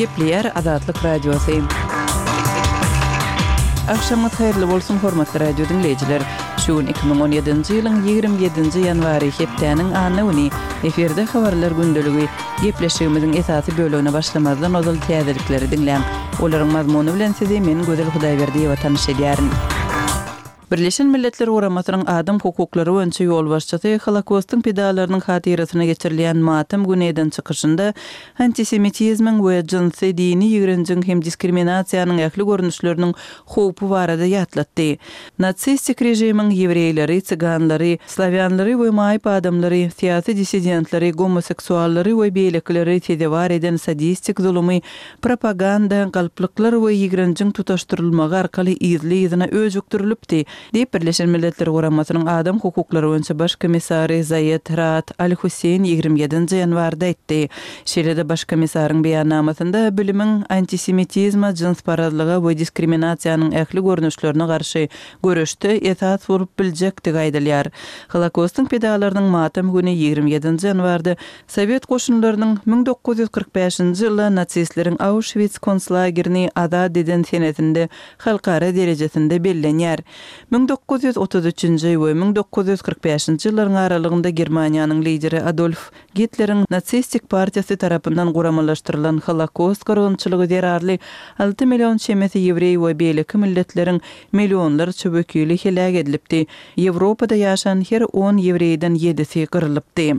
Gepleýär Azatlyk Radiosy. Agşamyňyz haýyrly bolsun, hormatly radio diňleýjiler! Şu gün 2017-nji ýylyň 27-nji ýanwary, hepdäniň anna güni. Efirde Habarlar gündeligi. Gepleşigimiziň esasy bölegine başlamazdan ozal täzelikleri diňläň. Olaryň mazmuny bilen sizi men Gözel Hudaýberdiýewa tanyş edýärin. Birleşen Milletler Guramasynyň adam hukuklary boýunça ýolbaşçysy Holokostyň pidalarynyň hatyrasyna geçirilýän matam güni eden çykyşynda antisemitizmiň we jynsy, dini ýigrenjiň hem diskriminasiýanyň ähli görnüşleriniň howpy barada ýatlatdy. Nasistik režimiň ýewreýleri, syganlary, slawýanlary we maýyp adamlary, syýasy dissidentleri, gomoseksuallary we beýlekileri sezewar eden sadistik zulumy Propaganda, galplyklar we ýigrenjiň tutaşdyrylmagy arkaly yzly-yzyna öjükdirilipdi, diýip, Birleşen Milletler Guramasynyň adam hukuklary boýunça baş komissary Zaýed Raad Al-Husseýn 27-nji ýanwarda aýtdy. Şeýle-de baş komissaryň beýannamasynda bilimiň antisemitizme, jynsparazlyga we diskriminasiýanyň ähli görnüşlerine garşy göreşde esas bolup biljekdigi aýdylýar. Holokostyň pidalarynyň matam güni 27-nji ýanwarda Sowet goşunlarynyň 1945-nji ýylda nasistleriň Auşwits konslagerini azat eden senesinde halkara derejesinde bellenýär. 1933-nji we 1945-nji ýyllaryň aralygynda Germaniýanyň lideri Adolf Gitleriň nasistik partiýasy tarapyndan guramalaşdyrylan Holokost gyrgynçylygy zerarly alty million çemesi ýewreý we beýleki milletleriň millionlarça wekili heläk edilipdi. Ýewropada ýaşan her on ýewreýden ýedisi gyrylypdy.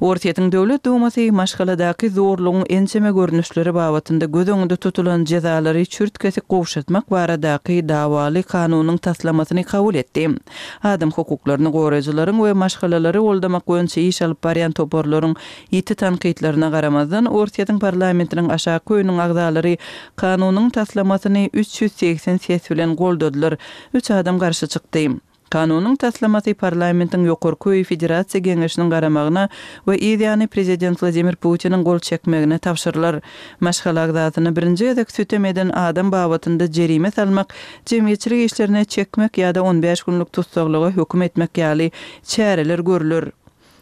Orsýetiň Döwlet Dumasy maşgaladaky zorlugyň ençeme görnüşleri babatynda göz öňünde tutulan jezalary çürt-kesik gowşatmak baradaky dawaly kanunyň taslamasyny kabul etdi. Adam hukuklaryny goraýjylaryň we maşgalalary goldamak boýunça iş alyp barýan toparlaryň ýiti tankytlaryna garamazdan, Orsýetiň parlamentiniň aşaky öýüniň agzalary kanunyň taslamasyny 380 ses bilen goldadylar, üç adam garşy çykdy. Kanunyň taslamasy parlamentiň ýokarky öýi Federasiýa Geňeşiniň garamagyna we yz ýany prezident Wladimir Putiniň gol çekmegine tabşyrylar. Maşgala agzasyna birinji gezek sütem eden adam babatynda jerime salmak, jemgyýetçilik işlerine çekmek ýa-da on bäş günlük tussaglyga höküm etmek ýaly çäreler görler.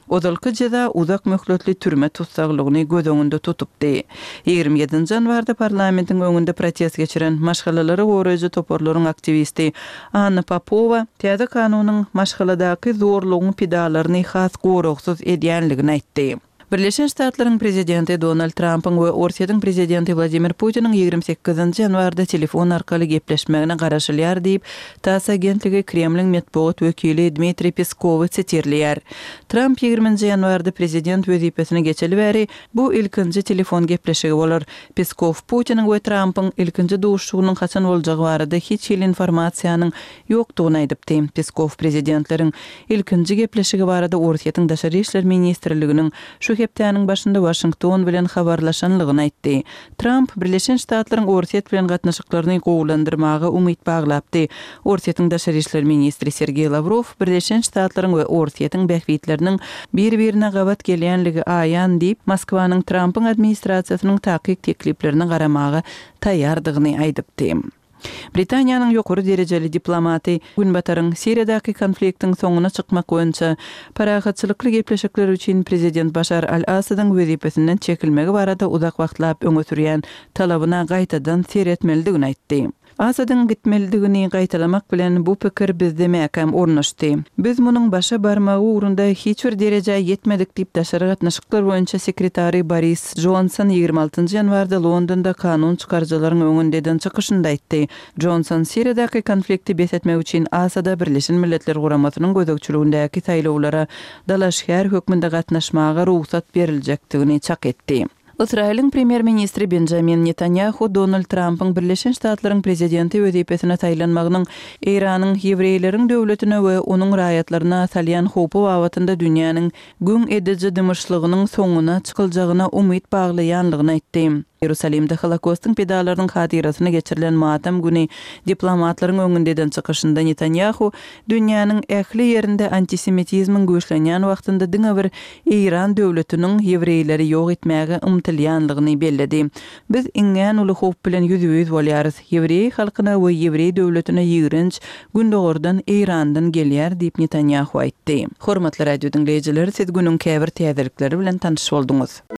Ozalky jeza uzak möhletli türme tussaglygyny göz öňünde tutupdy. 27-nji ýanwarda parlamentiň öňünde protest geçiren maşgalalary goraýjy toparlaryň aktiwisti Anna Popowa täze kanunyň maşgaladaky zorlugyň pidalaryny has goragsyz edýänligini aýtdy. Birleşen Ştatlaryň prezidenti Donald Trampyň we Orsýetiň prezidenti Wladimir Putiniň 28-nji ýanwarda telefon arkaly gepleşmegine garaşylýar diýip, Tass agentligi Kremliň metbugat wekili Dmitriý Peskowy sitirleýär. Tramp ýigriminji ýanwarda prezident wezipesine geçeli bäri bu ilkinji telefon gepleşigi bolar. Peskow Putiniň we Trampyň ilkinji duşuşygynyň haçan boljagy barada hiç hili informasiýanyň ýokdugyny aýdypdy. Peskow prezidentleriň ilkinji gepleşigi barada Orsýetiň Daşary işler ministrliginiň şu hepdäniň başynda Waşington bilen habarlaşanlygyny aýtdy. Tramp Birleşen Ştatlaryň Orsýet bilen gatnaşyklaryny gowulandyrmaga umyt baglapdy. Orsýetiň daşary işler ministri Sergeý Lawrow Birleşen Ştatlaryň we Orsýetiň bähbitleriniň bir-birine gabat gelýänligi aýan diýip, Moskwanyň Trampyň administrasiýasynyň takyk tekliplerine garamaga taýýardygyny aýdypdy. Britaniýanyň ýokary derejeli diplomaty Günbataryň Siriýadaky konfliktiň soňuna çykmak boýunça parahatçylykly gepleşikler üçin prezident Başar al-Assadyň wezipesinden çekilmegi barada uzak wagtlap öňe sürýän talabyna gaýtadan seretmelidigini aýtdy. Assadyň gitmelidigini gaýtalamak bilen bu pikir bizde mäkäm ornaşdy. Biz munuň başa barmagy ugrunda hiç bir derejä ýetmedik diýip daşary gatnaşyklar boýunça sekretary Boris Jonson 26 nji ýanwarda Londonda kanun çykaryjylaryň öňünde eden çykyşynda aýtdy. Jonson Siriýadaky konflikti bes etmek üçin Asada Birleşen Milletler Guramasynyň gözegçiligindäki saýlawlara dalaşgär hökmünde gatnaşmaga rugsat beriljekdigini çak etdi. Ysraýylyň premýer-ministri Benjamin Netanýahu Donald Trampyň Birleşen Ştatlaryň prezidenti wezipesine saýlanmagynyň Eýranyň ýewreýleriň döwletine we onuň raýatlaryna salýan howpy babatynda dünýäniň Güň ediji dymyşlygynyň soňuna çykyljagyna umyt baglaýanlygyny aýtdy. Ýerusalimde Holokostyň pidalarynyň hatyrasyna geçirilen matam güni diplomatlaryň öňünde eden çykyşynda Netanýahu dünýäniň ähli ýerinde antisemitizmiň güýçlenýän wagtynda diňe bir Eýran döwletiniň ýewreýleri ýok etmäge ymtylýanlygyny belledi. Biz iňňän uly howp bilen ýüzbe-ýüz bolýarys. Ýewreý halkyna we ýewreý döwletine ýigrenç Gündogardan, Eýrandan gelýär diýip, Netanýahu aýtdy. Hormatly radio diňleýjiler, siz günüň käbir täzelikleri bilen tanyş bolduňyz.